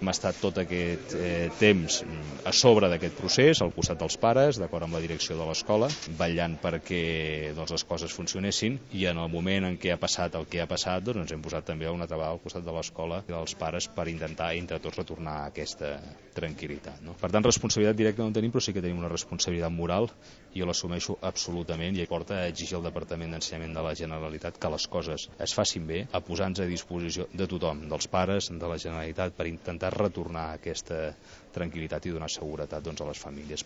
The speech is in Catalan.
Hem estat tot aquest temps a sobre d'aquest procés, al costat dels pares, d'acord amb la direcció de l'escola, vetllant perquè les coses funcionessin, i en el moment en què ha passat el que ha passat, ens hem posat també una altra vegada al costat de l'escola i dels pares per intentar entre tots retornar a aquesta tranquil·litat. Per tant, responsabilitat directa no en tenim, però sí que tenim una responsabilitat moral, i jo l'assumeixo absolutament, i porta a exigir al Departament d'Ensenyament de la Generalitat que les coses es facin bé, a posar-nos a disposició de tothom, dels pares, de la Generalitat, per intentar retornar aquesta tranquil·litat i donar seguretat a les famílies.